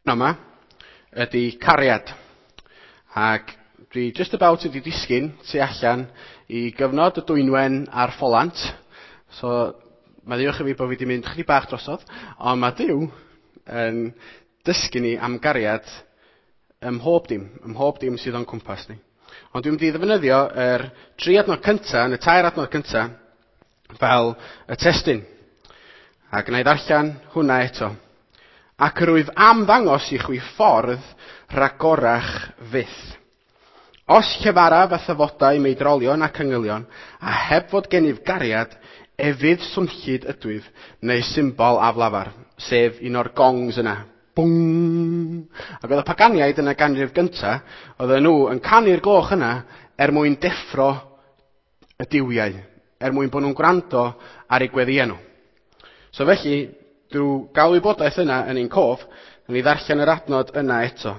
Yma ydy cariad. Ac dwi just about wedi disgyn tu allan i gyfnod y Dwynwen a'r Ffolant. So, mae ddiolch i fi bod fi wedi mynd chydig bach drosodd, ond mae Duw yn dysgu ni am gariad ym mhob dim, ym mhob dim sydd o'n cwmpas ni. Ond dwi'n mynd i ddefnyddio yr 3 adnod cyntaf, neu 4 adnod cyntaf, fel y testun. A gwna i ddarllen hwnna eto. Ac yr wyf am ddangos i chwi ffordd rhagorach fyth. Os llefaraf a thyfodau meidrolion ac angylion, a heb fod gennyf gariad, efydd swnllyd ydwyf, neu symbol aflafar, sef un o'r gongs yna. Bwng! Ac oedd y paganiaid yn y ganrif gyntaf, oedden nhw yn canu'r gloch yna er mwyn deffro y duwiau, er mwyn bod nhw'n gwrando ar eu gweddïau nhw. So felly, drwy gael wybodaeth yna yn ein cof, ni ddarllen yr adnod yna eto.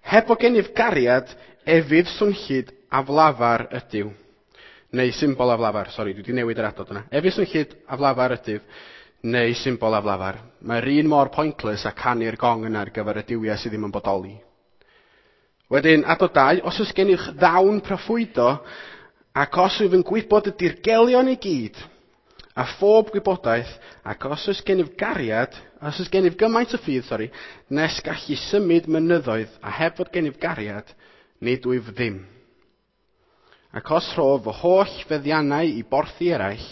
Heb fod gennyf gariad, efydd swnllyd aflafar ydyw. Neu symbol aflafar, sori, dwi wedi newid yr adnod yna. Efydd swnllyd aflafar ydyw, neu symbol aflafar. Mae'r un mor pointless a canu'r gong yna ar gyfer y duwiau sydd ddim yn bodoli. Wedyn, adnod 2, os oes gennych ddawn proffwydo, ac os wyf yn gwybod y dirgelion i gyd, a phob gwybodaeth, ac os oes gennyf gariad, os oes gennyf gymaint o ffydd, sori, nes gallu symud mynyddoedd, a heb fod gennyf gariad, nid wyf ddim. Ac os rhof fy holl feddiannau i borthi eraill,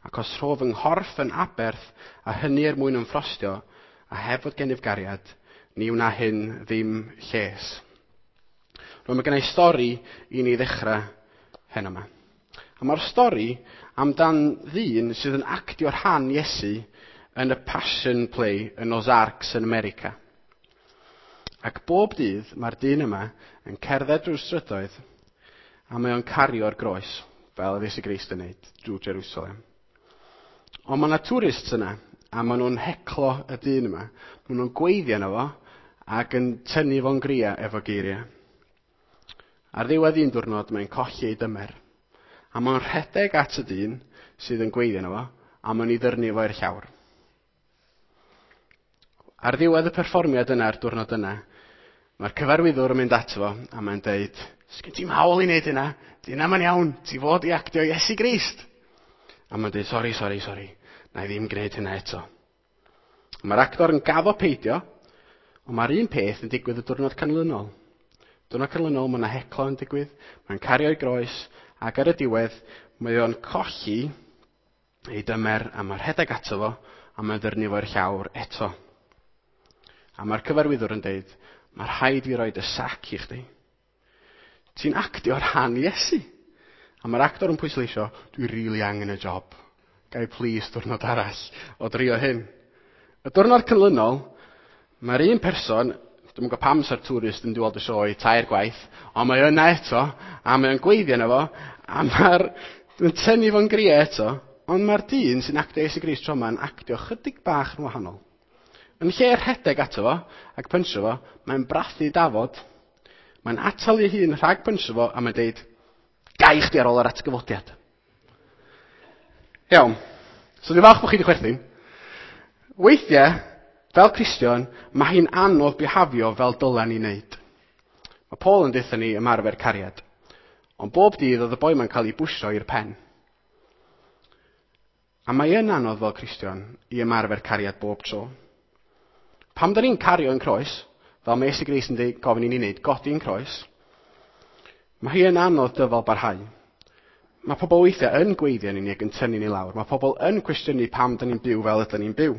ac os rhof fy nghorff yn aberth, a hynny er mwyn ymffrostio, a heb fod gennyf gariad, ni wna hyn ddim lles. Rwy'n mae gennau stori i ni ddechrau heno yma. A mae'r stori amdan ddyn sydd yn actio rhan Iesu yn y Passion Play yn Ozarks yn America. Ac bob dydd mae'r dyn yma yn cerdded drwy'r strydoedd a mae o'n cario'r groes, fel oedd Iesu Grist yn neud, drwy Jerusalem. Ond mae yna tourists yna, a maen nhw'n heclo y dyn yma. Maen nhw'n gweiddi arno fo ac yn tynnu fo'n gria efo geiriau. Ar ddiwedd un diwrnod mae'n colli ei dymer. A mae'n rhedeg at y dyn sydd yn gweiddi arno fo, a mae'n ei ddyrnu fo i'r llawr. Ar ddiwedd y perfformiad yna, ar diwrnod yna, mae'r cyfarwyddwr yn mynd ato fo, a mae'n deud, sgyn ti'm hawl i wneud hynna, di hynna ma'n iawn, ti fod i actio Iesu Grist. A mae'n deud, sori, sori, sori, na i ddim gwneud hynna eto. Mae'r actor yn gaddo peidio, ond mae'r un peth yn digwydd y diwrnod canlynol. Diwrnod canlynol, mae yna heclo yn digwydd, mae'n cario'i groes, ac ar y diwedd, mae o'n colli ei dymer, a mae'r rhedeg ato fo, a mae'n ddyrnu fo'r llawr eto. A mae'r cyfarwyddwr yn deud, mae rhaid fi roed y sac i chdi. Ti'n actio rhan Iesu. A mae'r actor yn pwysleisio, dwi rili angen y job. Gai please diwrnod arall o drio hyn. Y diwrnod canlynol, mae'r un person, dwi'm yn gwybod pam sa'r tourist yn dod y sioe 3 gwaith, ond mae yna eto, a mae o'n gweiddi arno fo, a mae'r yn tynnu fo'n gria eto, ond mae'r dyn sy'n actio Iesu Grist tro yma'n actio chydig bach yn wahanol. Yn lle rhedeg ato fo ac pynsio fo, mae'n brathu dafod, mae'n atal ei hun rhag pynsio fo, a mae'n deud, gai chdi ar ôl yr atgyfodiad. Iawn. So dwi'n falch bod chi wedi chwerthin. Weithiau, fel Cristion, mae hi'n anodd bihafio fel dylen ni wneud. Mae Paul yn deutha ni ymarfer cariad. Ond bob dydd oedd y boi ma'n cael ei bwsio i'r pen. A mae yn anodd fel Cristion i ymarfer cariad bob tro. Pam da ni'n cario yn croes, fel mae Iesu Grist yn deud, gofyn i ni wneud, godi'n croes, mae hi yn anodd dyfal barhau. Mae pobl weithiau yn gweiddi arnyn ni ac yn tynnu ni lawr. Mae pobl yn cwestiynu pam da ni'n byw fel ydyn ni'n byw.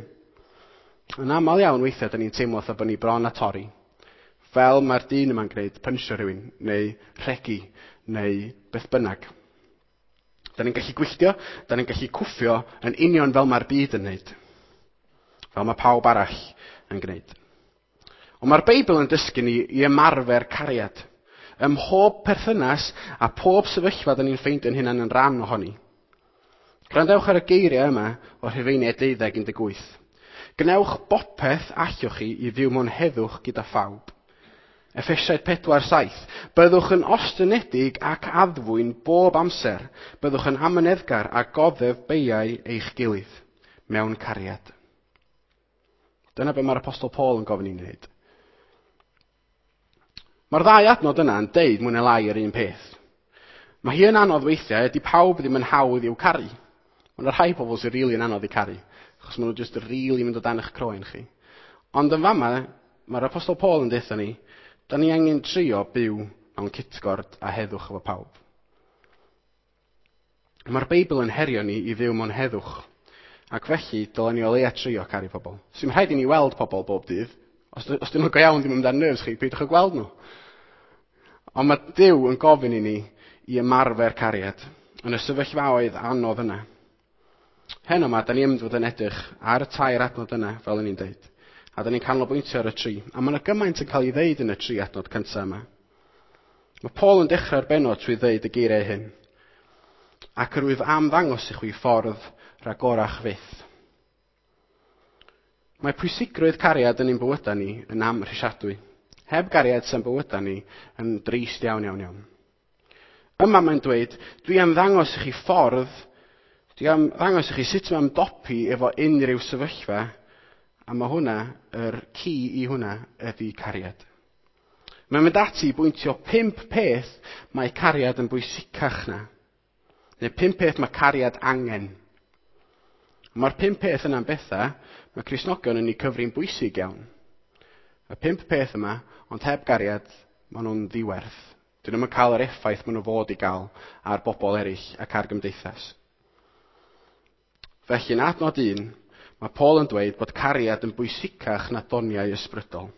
Yn aml iawn weithiau da ni'n teimlo fatha bod ni bron a torri. Fel mae'r dyn yma'n gwneud, pynsio rhywun, neu rhegi, neu beth bynnag. Da ni'n gallu gwylltio, da ni'n gallu cwffio yn union fel mae'r byd yn wneud. Fel mae pawb arall yn gwneud. Ond mae'r Beibl yn dysgu ni i ymarfer cariad. Ym mhob perthynas a pob sefyllfa da ni'n ffeindio'n hunan yn rhan ohoni. Gwrandewch ar y geiriau yma o Rhufeiniaid 12:18. Gwnewch bopeth allwch chi i fyw mewn heddwch gyda phawb. Effesiaid 4:7. Byddwch yn ostynedig ac addfwyn bob amser. Byddwch yn amyneddgar a goddef beiau eich gilydd mewn cariad. Dyna be mae'r Apostol Paul yn gofyn i ni wneud. Mae'r ddau adnod yna yn deud mwy neu lai yr un peth. Mae hi yn anodd weithiau, ydy pawb ddim yn hawdd i'w caru. Mae yna rhai pobl sy'n rili yn anodd i caru, achos maen nhw jyst rili mynd o dan eich croen chi. Ond yn fama, mae'r Apostol Paul yn deutha ni, da ni angen trio byw mewn cytgord a heddwch efo pawb. Mae'r Beibl yn herio ni i fyw mewn heddwch. Ac felly, dylen ni o leia trio caru pobl. Sy'n rhaid i ni weld pobl bob dydd. Os, os dyn nhw'n go iawn ddim yn mynd ar nerves chi, peidiwch â gweld nhw. Ond mae Duw yn gofyn i ni i ymarfer cariad yn y sefyllfaoedd anodd yna. Heno yma, da ni yn fod yn edrych ar y tair adnod yna, fel o'n i'n deud. A da ni'n canolbwyntio ar y tri. A mae yna gymaint yn cael ei ddeud yn y tri adnod cyntaf yma. Mae Paul yn dechrau'r bennod trwy ddeud y geiriau hyn. Ac yr wyf am ddangos i chwi ffordd ragorach fyth. Mae pwysigrwydd cariad yn ein bywydau ni yn amhrisiadwy. Heb gariad sy'n bywydau ni yn drist iawn, iawn, iawn. Yma mae'n dweud, dwi am ddangos i chi ffordd, dwi am ddangos i chi sut mae ymdopi efo unrhyw sefyllfa, a mae hwnna, yr ci i hwnna, ydy cariad. Mae'n mynd ati i bwyntio 5 peth mae cariad yn bwysicach na. Neu 5 peth mae cariad angen. Mae'r 5 peth yna'n bethau mae Cristnogion yn eu cyfri'n bwysig iawn. Y 5 peth yma, ond heb gariad, maen nhw'n ddiwerth. Dyn nhw'm yn cael yr effaith maen nhw fod i gael ar bobl eraill ac ar gymdeithas. Felly, yn adnod 1, mae Paul yn dweud bod cariad yn bwysicach na doniau ysbrydol.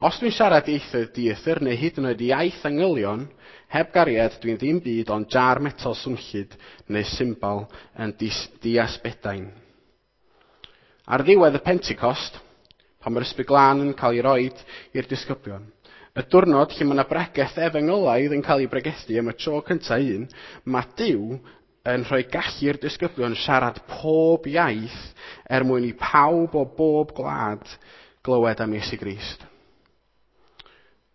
Os dwi'n siarad ieithoedd dieithr neu hyd yn oed iaith angylion, heb gariad dwi'n ddim byd ond jar metal swnllyd neu symbal yn diasbedain. Ar ddiwedd y Pentecost, pan mae'r Ysbryd Glân yn cael ei roed i'r disgyblion, y diwrnod lle mae yna bregeth efengylaidd yn cael ei bregethu am y tro cyntaf un, mae Duw yn rhoi gallu i'r disgyblion siarad pob iaith er mwyn i pawb o bob gwlad glywed am Iesu Grist.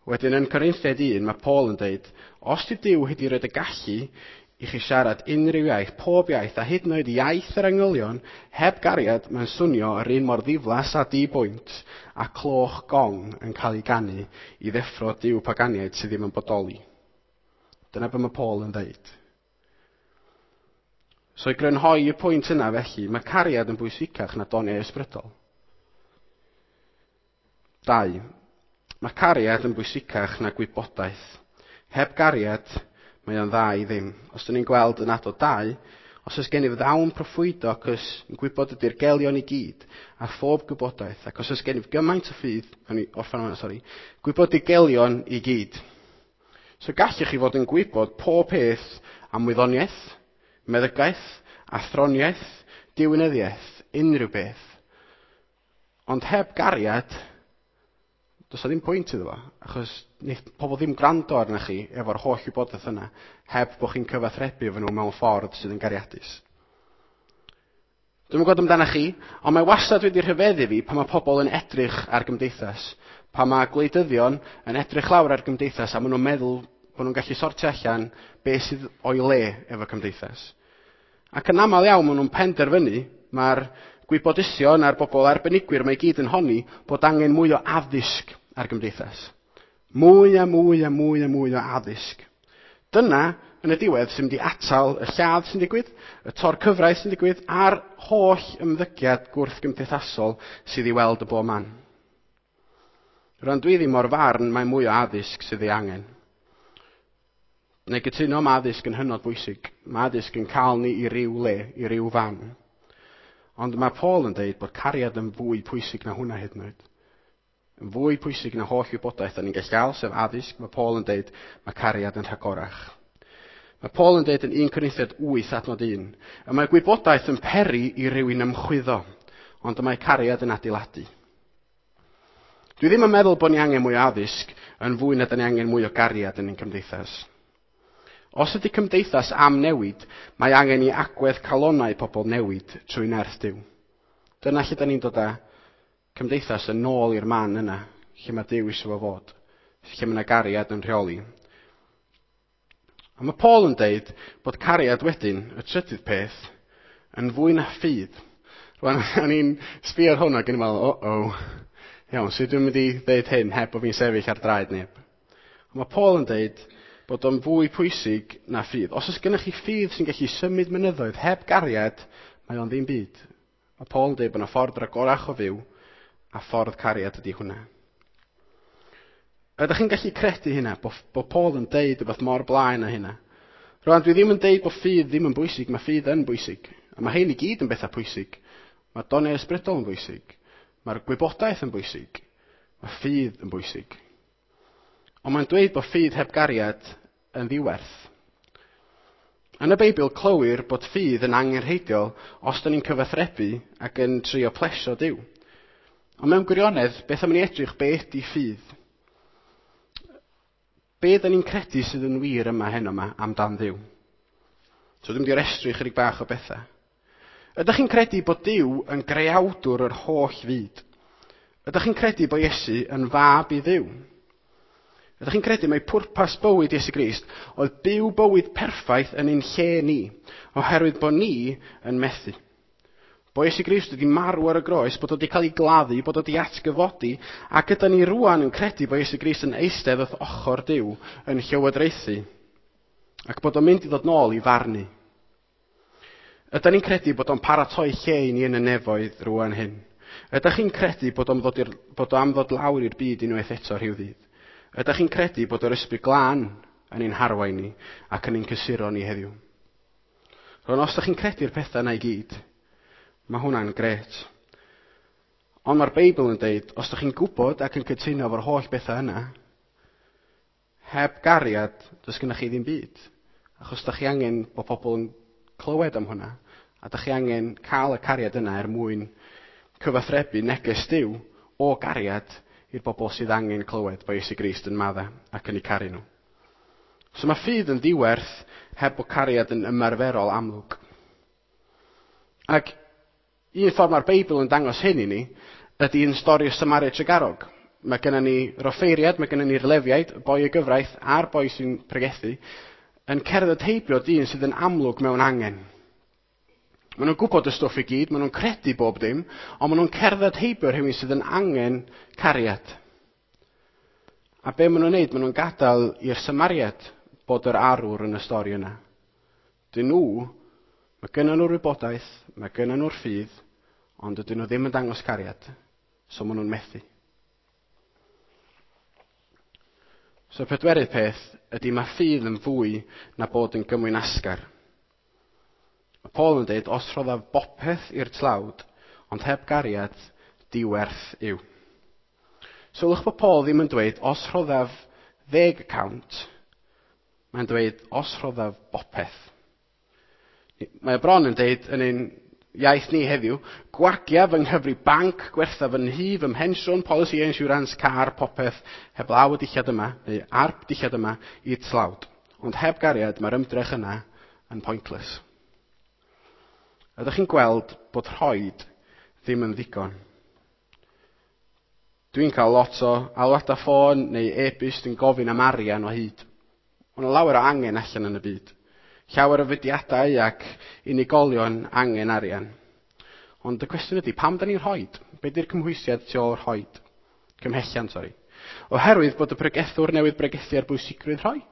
Wedyn yn Corinthiaid 1, mae Paul yn dweud, os di Duw wedi rhoi y gallu i chi siarad unrhyw iaith, pob iaith, a hyd yn oed iaith yr angylion, heb gariad, mae'n swnio yr un mor ddiflas a di-bwynt a cloch gong yn cael ei ganu i ddeffro Duw paganiaid sydd ddim yn bodoli. Dyna be mae Paul yn dweud. So i grynhoi y pwynt yna felly, mae cariad yn bwysicach na doniau ysbrydol. 2. Mae cariad yn bwysicach na gwybodaeth. Heb gariad, mae o'n dda i ddim. Os dyn ni'n gweld yn adnod 2, os oes gennyf ddawn proffwydo ac os yn gwybod y dirgelion i gyd, a phob gwybodaeth, ac os oes gennyf gymaint o ffydd, o'n i orffen hwnna, sori, gwybod dirgelion i gyd. So gallech chi fod yn gwybod pob peth am wyddoniaeth, meddygaeth, athroniaeth, diwinyddiaeth, unrhyw beth. Ond heb gariad, does 'na ddim pwynt iddo fo, achos wneith pobl ddim gwrando arnoch chi efo'r holl wybodaeth yna, heb bod chi'n cyfathrebu efo nhw mewn ffordd sydd yn gariadus. Dwi'm yn gwybod amdano chi, ond mae wastad wedi rhyfeddu fi pan mae pobl yn edrych ar gymdeithas, pan mae gwleidyddion yn edrych lawr ar gymdeithas a maen nhw'n meddwl bod nhw'n gallu sortio allan beth sydd o'i le efo cymdeithas. Ac yn aml iawn maen nhw'n penderfynu, mae'r gwybodusion a'r bobl arbenigwyr mae i gyd yn honni bod angen mwy o addysg ar gymdeithas. Mwy a mwy a mwy a mwy o addysg. Dyna, yn y diwedd, sy'n mynd i atal y lladd sy'n digwydd, y tor cyfraith sy'n digwydd, a'r holl ymddygiad gwrthgymdeithasol sydd i weld y bob man. Rwan dwi ddim o'r farn mae mwy o addysg sydd ei angen. Neu gytuno mae addysg yn hynod bwysig. Mae addysg yn cael ni i ryw le, i ryw fan. Ond mae Paul yn dweud bod cariad yn fwy pwysig na hwnna hyd yn oed. Yn fwy pwysig na holl wybodaeth da ni'n gallu gael, sef addysg, mae Paul yn dweud mae cariad yn rhagorach. Mae Paul yn dweud yn 1 Corinthiaid 8 adnod 1, y mae gwybodaeth yn peri i rywun ymchwyddo, ond y mae cariad yn adeiladu. Dwi ddim yn meddwl bod ni angen mwy o addysg yn fwy na da ni angen mwy o gariad yn ein cymdeithas. Os ydy cymdeithas am newid, mae angen i agwedd calonnau pobl newid trwy nerth Duw. Dyna lle da ni'n dod â cymdeithas yn ôl i'r man yna, lle mae Duw eisiau fo fod, lle mae yna gariad yn rheoli. A mae Paul yn deud bod cariad wedyn, y trydydd peth, yn fwy na ffydd. Rwan, o'n i'n sbio ar hwn ac yn meddwl, o-o, Iawn, so dwi'n mynd i ddeud hyn heb bod fi'n sefyll ar draed neb. Ond mae Paul yn deud bod o'n fwy pwysig na ffydd. Os oes gennych chi ffydd sy'n gallu symud mynyddoedd heb gariad, mae o'n ddim byd. Mae Paul yn dweud bod yna ffordd ragorach o fyw, a ffordd cariad ydy hwnna. Ydych chi'n gallu credu hynna, bod, bod Paul yn deud rhywbeth mor blaen â hynna? Rwan, dwi ddim yn deud bod ffydd ddim yn bwysig, mae ffydd yn bwysig. A mae hyn i gyd yn bethau pwysig. Mae doniau ysbrydol yn bwysig. Mae'r gwybodaeth yn bwysig. Mae ffydd yn bwysig. Ond mae'n dweud bod ffydd heb gariad yn ddiwerth. Yn y Beibl clywir bod ffydd yn angenrheidiol os da ni'n cyfathrebu ac yn trio plesio Duw. Ond mewn gwirionedd, beth am ni edrych beth di ffydd? Be da ni'n credu sydd yn wir yma heno yma amdan Dduw? So dwi'n mynd i restru chydig bach o bethau. Ydych chi'n credu bod Duw yn greawdwr yr holl fyd? Ydych chi'n credu bod Iesu yn fab i Dduw? Ydych chi'n credu mai pwrpas bywyd Iesu Grist oedd byw bywyd perffaith yn ein lle ni, oherwydd bod ni yn methu? Bod Iesu Grist wedi marw ar y groes, bod o wedi cael ei gladdu, bod o wedi atgyfodi, ac gyda ni rwan yn credu bod Iesu Grist yn eistedd wrth ochr Duw yn llywodraethu, ac bod o'n mynd i ddod nôl i farnu. Ydy ni'n credu bod o'n paratoi lle i ni yn y nefoedd rwan hyn? Ydych chi'n credu bod o'n ddod, bod o am ddod lawr i'r byd unwaith eto rhyw ddydd? Ydych chi'n credu bod yr ysbryd glân yn ein harwain ni ac yn ein cysuro ni heddiw? Rwan, os ydych chi'n credu'r pethau yna i gyd, mae hwnna'n gret. Ond mae'r Beibl yn deud, os ydych chi'n gwybod ac yn cytuno efo'r holl bethau yna, heb gariad, does gennych chi ddim byd. Achos ydych chi angen bod pobl yn clywed am hwnna. A ydych chi angen cael y cariad yna er mwyn cyfathrebu neges Duw o gariad i'r bobl sydd angen clywed bod Iesu Grist yn madda ac yn eu caru nhw. So mae ffydd yn ddiwerth heb bod cariad yn ymarferol amlwg. Ac un ffordd mae'r Beibl yn dangos hyn i ni ydy yn stori'r Samaria Tregarog. Mae gennym ni roffeiriad, mae gennym ni'r lefiaid, y boi y gyfraith a'r boi sy'n pregethu, yn cerdded heibio dyn sydd yn amlwg mewn angen. Maen nhw'n gwybod y stwff i gyd, maen nhw'n credu bob dim, ond maen nhw'n cerdded heibio rhywun sydd yn angen cariad. A be maen nhw'n neud? Maen nhw'n gadael i'r Samariad bod yr arwr yn y stori yna. Dyn nhw, mae gynnon nhw'r wybodaeth, mae gynnon nhw'r ffydd, ond dydyn nhw ddim yn dangos cariad, so maen nhw'n methu. So y pedwerydd peth ydy mae ffydd yn fwy na bod yn gymwynasgar. Mae Paul yn dweud, os rhoddaf bopeth i'r tlawd, ond heb gariad, diwerth yw. Sylwch bod Paul ddim yn dweud, os rhoddaf 10%, mae'n dweud, os rhoddaf bopeth. Mae o bron yn dweud yn ein iaith ni heddiw, gwagia fy nghyfri banc, gwertha fy nhŷ, fy mhensiwn, policy insurance, car, popeth, heblaw y dillad yma, neu ar dillad yma, i'r tlawd. Ond heb gariad, mae'r ymdrech yna yn pointless. Ydych chi'n gweld bod rhoed ddim yn ddigon? Dwi'n cael lot o alwadau ffôn neu e-byst yn gofyn am arian o hyd. Mae yna lawer o angen allan yn y byd. Llawer o fudiadau ac unigolion angen arian. Ond y cwestiwn ydy, pam da ni'n rhoid? Be di'r cymhwysiad tu ôl rhoid? Cymhelliant, sori. Oherwydd bod y pregethwr newydd bregethu ar bwysigrwydd rhoi.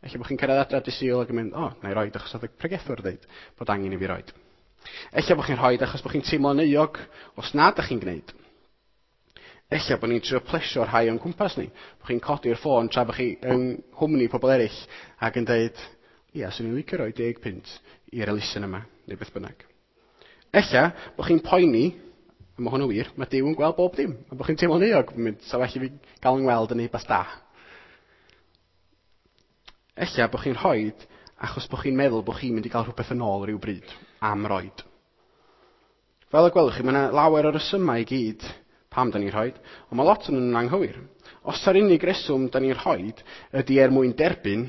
Ella bod chi'n cyrraedd adra dy Sul ac yn mynd, o, na i roid achos oedd y pregethwr dweud bod angen i fi roid. Ella bod chi'n rhoi achos bod chi'n teimlo'n euog os nad ydych chi'n gwneud. Ella bod ni'n trio plesio rhai o'n cwmpas ni. Bod chi'n codi'r ffôn tra bod chi yng nghwmni pobl eraill ac yn dweud, ia, swn i'n licio rhoi 10 punt i'r elusen yma, neu beth bynnag. Ella bod chi'n poeni, a mae hwn yn wir, mae Duw yn gweld bob dim, a bod chi'n teimlo'n euog, mynd, sa well i fi gael yng ngweld yn ei beth da. Ella bod chi'n rhoi achos bod chi'n meddwl bod chi'n mynd i gael rhywbeth yn ôl rhyw bryd am roed. Fel y gwelwch chi, mae yna lawer o resymau i gyd pam da ni'n rhoi, ond mae lot o'n nhw'n anghywir. Os ta'r unig reswm da ni'n rhoi ydy er mwyn derbyn,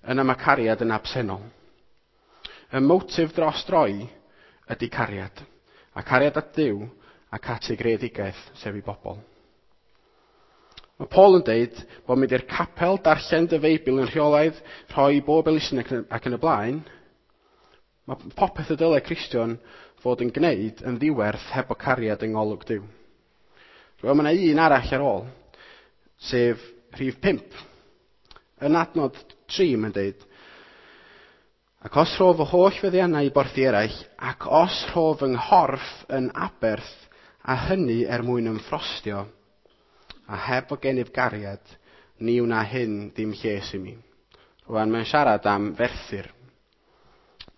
yna mae cariad yn absennol. Y motif dros droi ydy cariad. A cariad at Dduw ac at ei greadigaeth, sef i bobl. Mae Paul yn deud bod mynd i'r capel, darllen dy Feibl yn rheolaidd, rhoi bob elusen ac yn y blaen. Mae popeth y dylai Cristion fod yn gwneud yn ddiwerth heb o cariad yng ngolwg Duw. Wel, mae yna un arall ar ôl, sef rhif 5. Yn adnod 3 mae'n deud, ac os rhof fy holl feddiannau i borthi eraill, ac os rhof fy nghorff yn aberth, a hynny er mwyn ymffrostio, a heb fod gennyf gariad, ni wna hyn ddim lles i mi. Rwan, mae'n siarad am ferthyr.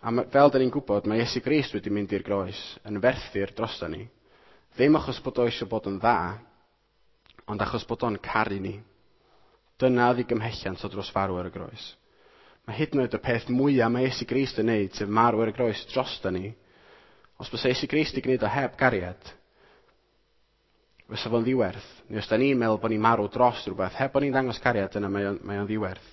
A fel da ni'n gwybod, mae Iesu Grist wedi mynd i'r groes yn ferthyr drosto ni. Ddim achos bod o eisiau bod yn dda, ond achos bod o'n caru ni. Dyna oedd ei gymhelliant o dros farw ar y groes. Mae hyd yn oed y peth mwyaf mae Iesu Grist yn neud, sef marw ar y groes drosto ni, os bysa Iesu Grist i gwneud o heb gariad, fysa fo'n ddiwerth. Neu os da ni'n meddwl bod ni'n marw dros rhywbeth, heb bod ni'n dangos cariad, yna mae o'n ddiwerth.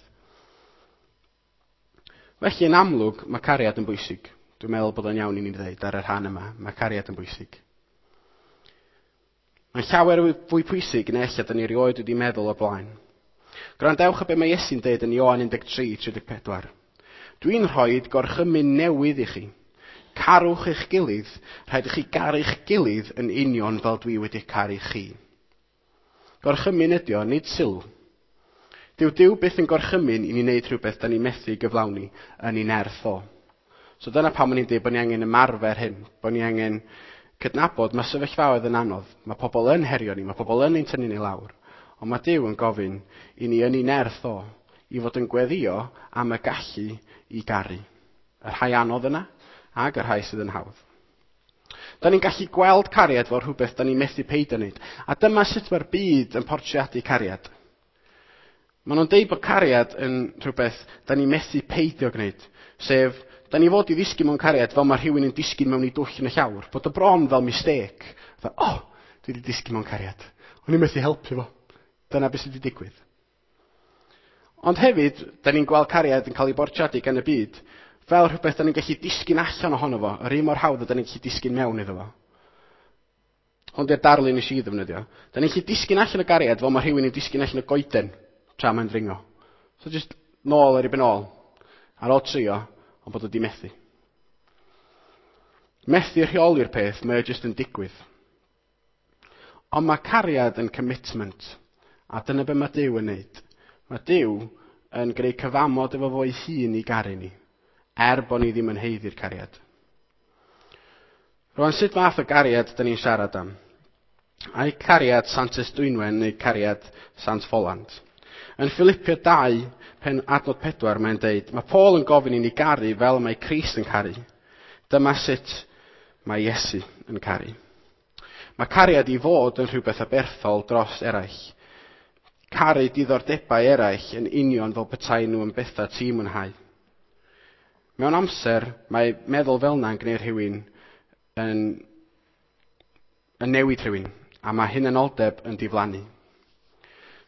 Felly, yn amlwg, mae cariad yn bwysig. Dwi'n meddwl bod o'n iawn i ni ddweud ar y rhan yma, mae cariad yn bwysig. Mae'n llawer fwy pwysig na ella da ni erioed wedi meddwl o'r blaen. Gwrandewch ar be mae Iesu'n dweud yn Ioan 13, 34. Dwi'n rhoi gorchymyn newydd i chi. Carwch eich gilydd, rhaid i chi garu'ch gilydd yn union fel dwi wedi caru chi. Gorchymyn ydi o, nid sylw. Dyw Duw byth yn gorchymyn i ni wneud rhywbeth da ni methu gyflawni yn ei nerth o. So dyna pam o'n i'n dweud bod ni angen ymarfer hyn, bod ni angen cydnabod mae sefyllfaoedd yn anodd, mae pobl yn herio ni, mae pobl yn ein tynnu ni lawr. Ond mae Duw yn gofyn i ni yn ei nerth o i fod yn gweddio am y gallu i garu. Y rhai anodd yna ac y rhai sydd yn hawdd. Da ni'n gallu gweld cariad fel rhywbeth da ni'n methu peidio wneud. A dyma sut mae'r byd yn portreadu cariad. Maen nhw'n deud bod cariad yn rhywbeth da ni'n methu peidio gwneud. Sef, da ni fod i ddisgyn mewn cariad fel mae rhywun yn disgyn mewn i dwll yn y llawr. Bod y bron fel mistake. Fatha, oh, dwi wedi disgyn mewn cariad. O'n i'n methu helpu fo. Dyna beth sydd wedi digwydd. Ond hefyd, da ni'n gweld cariad yn cael ei bortreadu gan y byd fel rhywbeth da ni'n gallu disgyn allan ohono fo, yr un mor hawdd a da ni'n gallu disgyn mewn iddo fo. Hwn di'r darlun nes i ddefnyddio. Da ni'n gallu disgyn allan o gariad fel mae rhywun yn disgyn allan o goeden tra mae'n dringo. So just nôl ar ei ben ôl, ar ôl trio, ond bod o di methu. Methu rheoli'r peth, mae o just yn digwydd. Ond mae cariad yn commitment, a dyna be mae Duw yn neud. Mae Duw yn gwneud cyfamod efo fo'i hun i garu ni, er bod ni ddim yn haeddu'r cariad. Rwan, sut fath o gariad da ni'n siarad am? Ai cariad Santes Dwynwen neu cariad Sant Ffolant? Yn Philipia 2, pen adnod 4, mae'n deud, mae Paul yn gofyn i ni garu fel mae Crist yn caru. Dyma sut mae Iesu yn caru. Mae cariad i fod yn rhywbeth aberthol dros eraill. Caru diddordebau eraill yn union fel petai nhw yn bethau ti'n mwynhau. Mewn amser, mae meddwl fel yna yn gwneud rhywun yn newid rhywun, a mae hunanoldeb yn diflannu.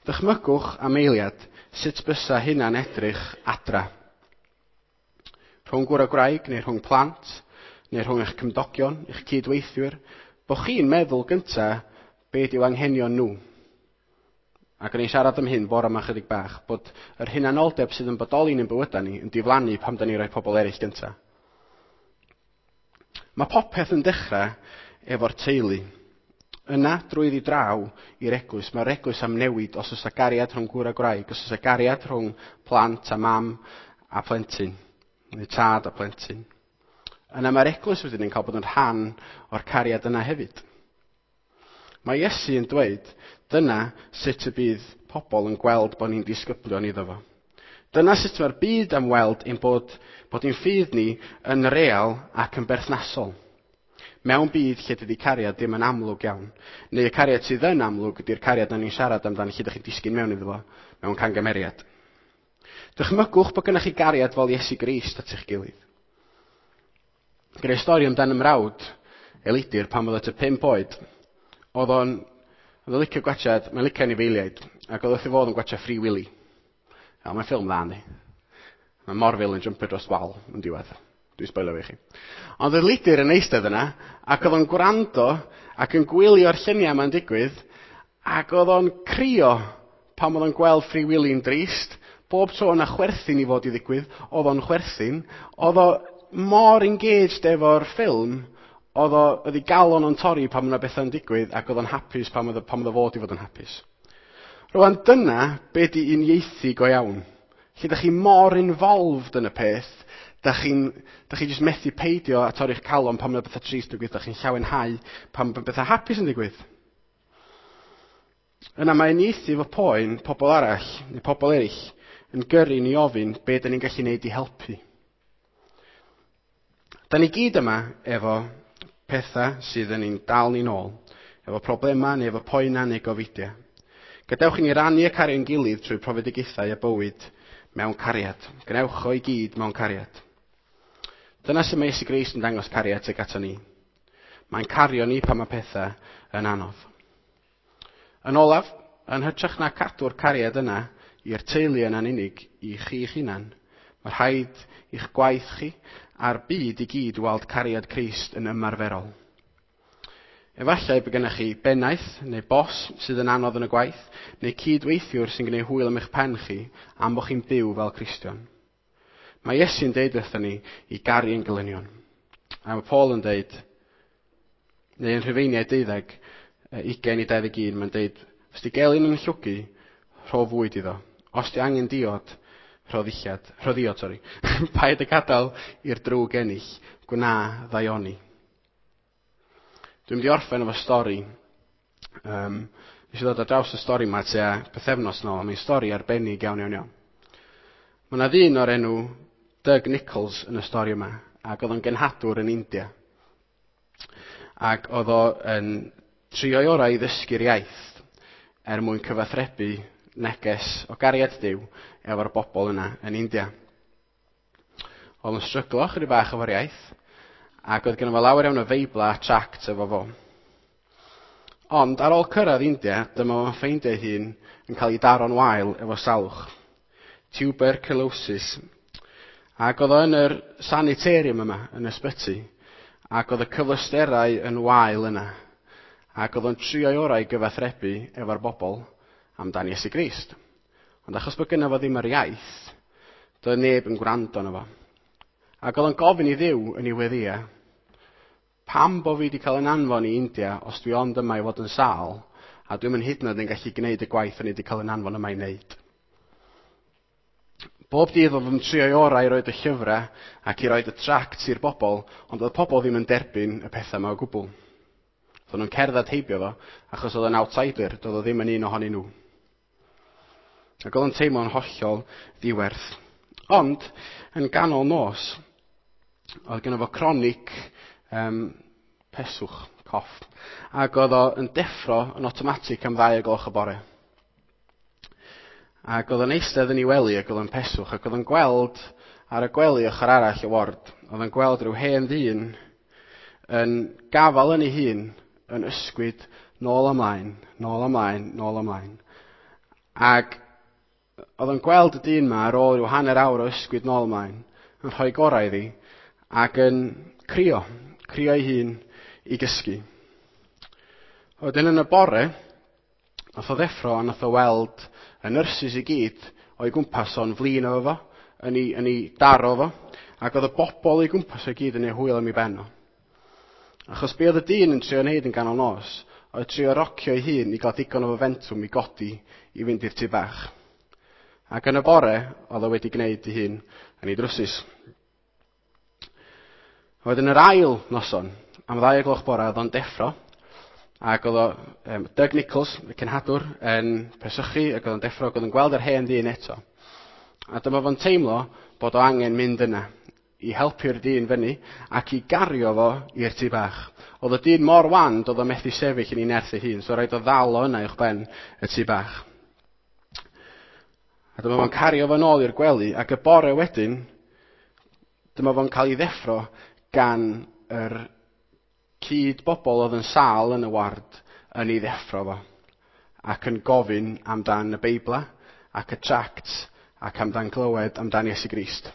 Dychmygwch am eiliad sut bysa hynna'n edrych adra. Rhwng gŵr a gwraig, neu rhwng plant, neu rhwng eich cymdogion, eich cydweithwyr, bo chi'n meddwl gynta be yw anghenion nhw. Ac o'n i'n siarad am hyn bore yma chydig bach, bod yr hunanoldeb sydd yn bodoli yn ein bywydau ni yn diflannu pam da ni'n rhoi pobl eraill gynta. Mae popeth yn dechrau efo'r teulu. Yna, drwyddi draw i'r eglwys, mae'r eglwys am newid os oes 'na gariad rhwng gŵr a gwraig, os oes 'na gariad rhwng plant a mam a plentyn, neu tad a plentyn. Yna mae'r eglwys wedyn yn cael bod yn rhan o'r cariad yna hefyd. Mae Iesu yn dweud, dyna sut y bydd pobl yn gweld bod ni'n disgyblion iddo fo. Dyna sut mae'r byd am weld ein bod ein ffydd ni yn real ac yn berthnasol. Mewn byd lle dydy cariad ddim yn amlwg iawn. Neu y cariad sydd yn amlwg ydy'r cariad na ni'n siarad amdano lle ydych chi'n disgyn mewn iddo fo mewn cangymeriad. Dychmygwch bod gennych chi gariad fel Iesu Grist at eich gilydd. Gyda'i stori amdan ymrawd Elidir pan oedd o tua 5 oed, oedd o'n licio gwachad, mae'n licio anifeiliaid, ac oedd wrth ei fodd yn gwachad Free Willy. Ja, mae'n ffilm dda, yndi? Mae Morfil yn jumpio dros wal yn diwedd. Dwi'n sboilio fi chi. Ond oedd Elidir yn eistedd yna, ac oedd o'n gwrando ac yn gwylio'r lluniau yma'n digwydd, ac oedd o'n crio pan oedd o'n gweld Free Willy'n drist. Bob tro yna chwerthin i fod i ddigwydd, oedd o'n chwerthin. Oedd o mor engaged efo'r ffilm, Oedd o, oedd ei galon o'n torri pan mae bethau'n digwydd ac oedd o'n hapus pan oedd, pan oedd o fod i fod yn hapus. Rwan dyna be di uniaethu go iawn. Lle da chi mor involved yn y peth, da chi'n da chi jyst methu peidio a torri'ch calon pan mae bethau trist yn digwydd, da chi'n llawenhau pan mae bethau hapus yn digwydd. Yna mae uniaethu efo poen pobl arall, neu pobl eraill, yn gyrru ni ofyn be da ni'n gallu neud i helpu. Da ni gyd yma efo pethau sydd yn ein dal ni'n ôl, efo problemau neu efo poenau neu gofidiau. Gadewch i ni rannu y cariad ein gilydd trwy profedigaethau a bywyd mewn cariad. Gwnewch o i gyd mewn cariad. Dyna sut mae Iesu Grist yn dangos cariad tuag ato ni. Mae'n cario ni pan mae pethau yn anodd. Yn olaf, yn hytrach na cadw'r cariad yna i'r teulu yna'n unig, i chi'ch hunan, mae rhaid i'ch gwaith chi a'r byd i gyd weld cariad Crist yn ymarferol. Efallai bod gennych chi bennaeth neu bos sydd yn anodd yn y gwaith, neu cydweithiwr sy'n gwneud hwyl am eich pen chi am bod chi'n byw fel Cristion. Mae Iesu'n deud wrthon ni i garu ein gelynion. A mae Paul yn deud, neu yn Rhufeiniau 12, 20 i 21, mae'n deud, os di gelyn yn llwgu, rho fwyd iddo. Os di angen diod, rho ddillad, rho ddiod, sori. Paid y gadael i'r drwg ennill, gwna ddaioni. Dwi'n mynd i orffen efo stori. Nes i ddod ar draws y stori yma tua pythefnos nôl, a mae'n stori arbennig iawn, iawn, iawn. Mae yna ddyn o'r enw Doug Nichols yn y stori yma, ac oedd o'n genhadwr yn India. Ac oedd o yn trio'i orau i ddysgu'r iaith er mwyn cyfathrebu neges o gariad Duw efo'r bobl yna yn India. Oedd o'n stryglo chydig bach efo'r iaith, ac oedd genno fo lawer iawn o feibla a tract efo fo. Ond ar ôl cyrraedd India, dyma fo'n ffeindio ei hun yn cael ei daro'n wael efo salwch. Tuberculosis. Ac oedd o yn yr sanitarium yma, yn y ysbyty, ac oedd y cyfleusterau yn wael yna. Ac oedd o'n trio'i orau i gyfathrebu efo'r bobl amdan Iesu Grist. Ond achos bod gynno fo ddim yr iaith, doedd neb yn gwrando arno fo. Ac oedd o'n gofyn i Dduw yn ei weddïau, pam bo fi wedi cael yn anfon i India os dwi ond yma i fod yn sâl, a dwi'm yn hyd yn oed yn gallu gwneud y gwaith o'n i wedi cael yn anfon yma i wneud. Bob dydd oedd yn trio'i orau i roed y llyfrau ac i roed y tracts i'r bobl, ond oedd pobl ddim yn derbyn y pethau yma o gwbl. Oedden nhw'n cerdded heibio fo, achos oedd o'n outsider, doedd o ddim yn un ohonyn nhw. Ac oedd o'n teimlo'n hollol ddiwerth. Ond, yn ganol nos, oedd gynno fo chronic peswch, coff. Ac oedd o yn deffro yn automatic am 2 o gloch y bore. Ac oedd o'n eistedd yn ei wely ac oedd o'n peswch, ac oedd o'n gweld ar y gwely ochr arall y ward, oedd o'n gweld rhyw hen ddyn yn gafal yn ei hun, yn ysgwyd nôl ymlaen, nôl ymlaen, nôl ymlaen. Ac oedd o'n gweld y dyn ma ar ôl rhyw hanner awr o ysgwyd nôl ymlaen, yn rhoi gorau iddi, ac yn crio, crio ei hun i gysgu. Wedyn yn y bore, nath o ddeffro a nath o weld y nyrsys i gyd o'i gwmpas o'n flin efo fo, yn ei daro fo, ac oedd y bobl o'i gwmpas o'i gyd yn ei hwyl am ei ben o. Achos be oedd y dyn yn trio wneud yn ganol nos, oedd trio rocio ei hun i gael digon o fomentwm i godi i fynd i'r tŷ bach. Ac yn y bore, oedd o wedi gwneud ei hun yn ei drwsus. Wedyn yr ail noson, am 2 o gloch bore, oedd o'n deffro, ac oedd o, Doug Nichols, y cenhadwr, yn pesychu, ac oedd o'n deffro, ac oedd o'n gweld yr hen ddyn eto. A dyma fo'n teimlo bod o angen mynd yna i helpu'r dyn fyny ac i gario fo i'r tŷ bach. Oedd y dyn mor wan, doedd o methu sefyll yn ei nerth ei hun, so rhaid o ddal o yna uwch ben y tŷ bach. A dyma fo'n cario fo nôl i'r gwely, ac y bore wedyn, dyma fo'n cael ei ddeffro gan yr cyd bobl oedd yn sâl yn y ward yn ei ddeffro fo, ac yn gofyn amdan y Beibla ac y tracts ac amdan glywed amdan Iesu Grist.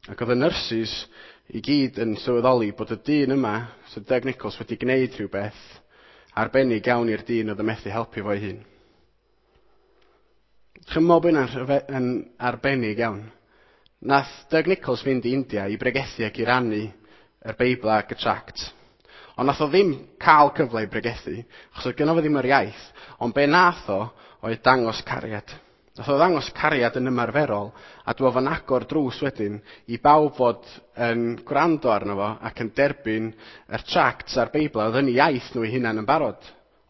Ac oedd y nyrsys i gyd yn sylweddoli bod y dyn yma, Sir Doug Nichols, wedi gwneud rhywbeth arbennig iawn i'r dyn oedd yn methu helpu fo'i hun. Chymod bod hynna'n yn arbennig iawn. Nath Doug Nichols fynd i India i bregethu ac i rannu yr Beibl ac y tract. Ond nath o ddim cael cyfle i bregethu, achos oedd gynno fo ddim yr iaith, ond be nath o oedd dangos cariad. Nath o ddangos cariad yn ymarferol, a dwi fo'n agor drws wedyn i bawb fod yn gwrando arno fo ac yn derbyn yr tracts a'r Beibl, oedd yn iaith nhw eu hunain yn barod.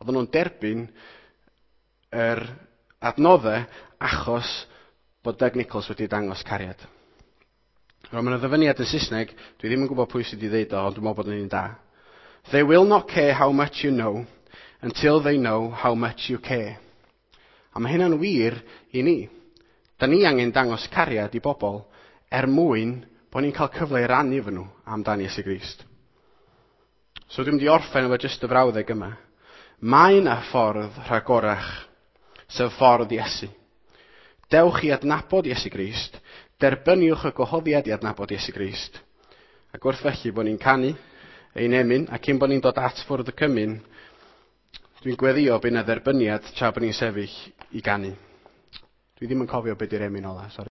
Oedden nhw'n derbyn yr adnoddau achos bod Doug Nichols wedi dangos cariad. Roedd yna ddyfyniad yn Saesneg, dwi ddim yn gwybod pwy sydd wedi dweud o, ond dwi'n meddwl bod yn un da. "They will not care how much you know until they know how much you care." A mae hynna'n wir i ni. Da ni angen dangos cariad i bobl er mwyn bod ni'n cael cyfle i rannu efo nhw amdan Iesu Grist. So dwi'n mynd i orffen efo jyst y frawddeg yma. Mae yna ffordd rhagorach, sef ffordd Iesu. Dewch i adnabod Iesu Grist, derbyniwch y gwahoddiad i adnabod Iesu Grist. Ac wrth felly bod ni'n canu ein emyn, a cyn bod ni'n dod at fwrdd y cymun, dwi'n gweddio bydd yna dderbyniad tra bod ni'n sefyll i ganu. Dwi ddim yn cofio beth yw'r emyn ola, sori.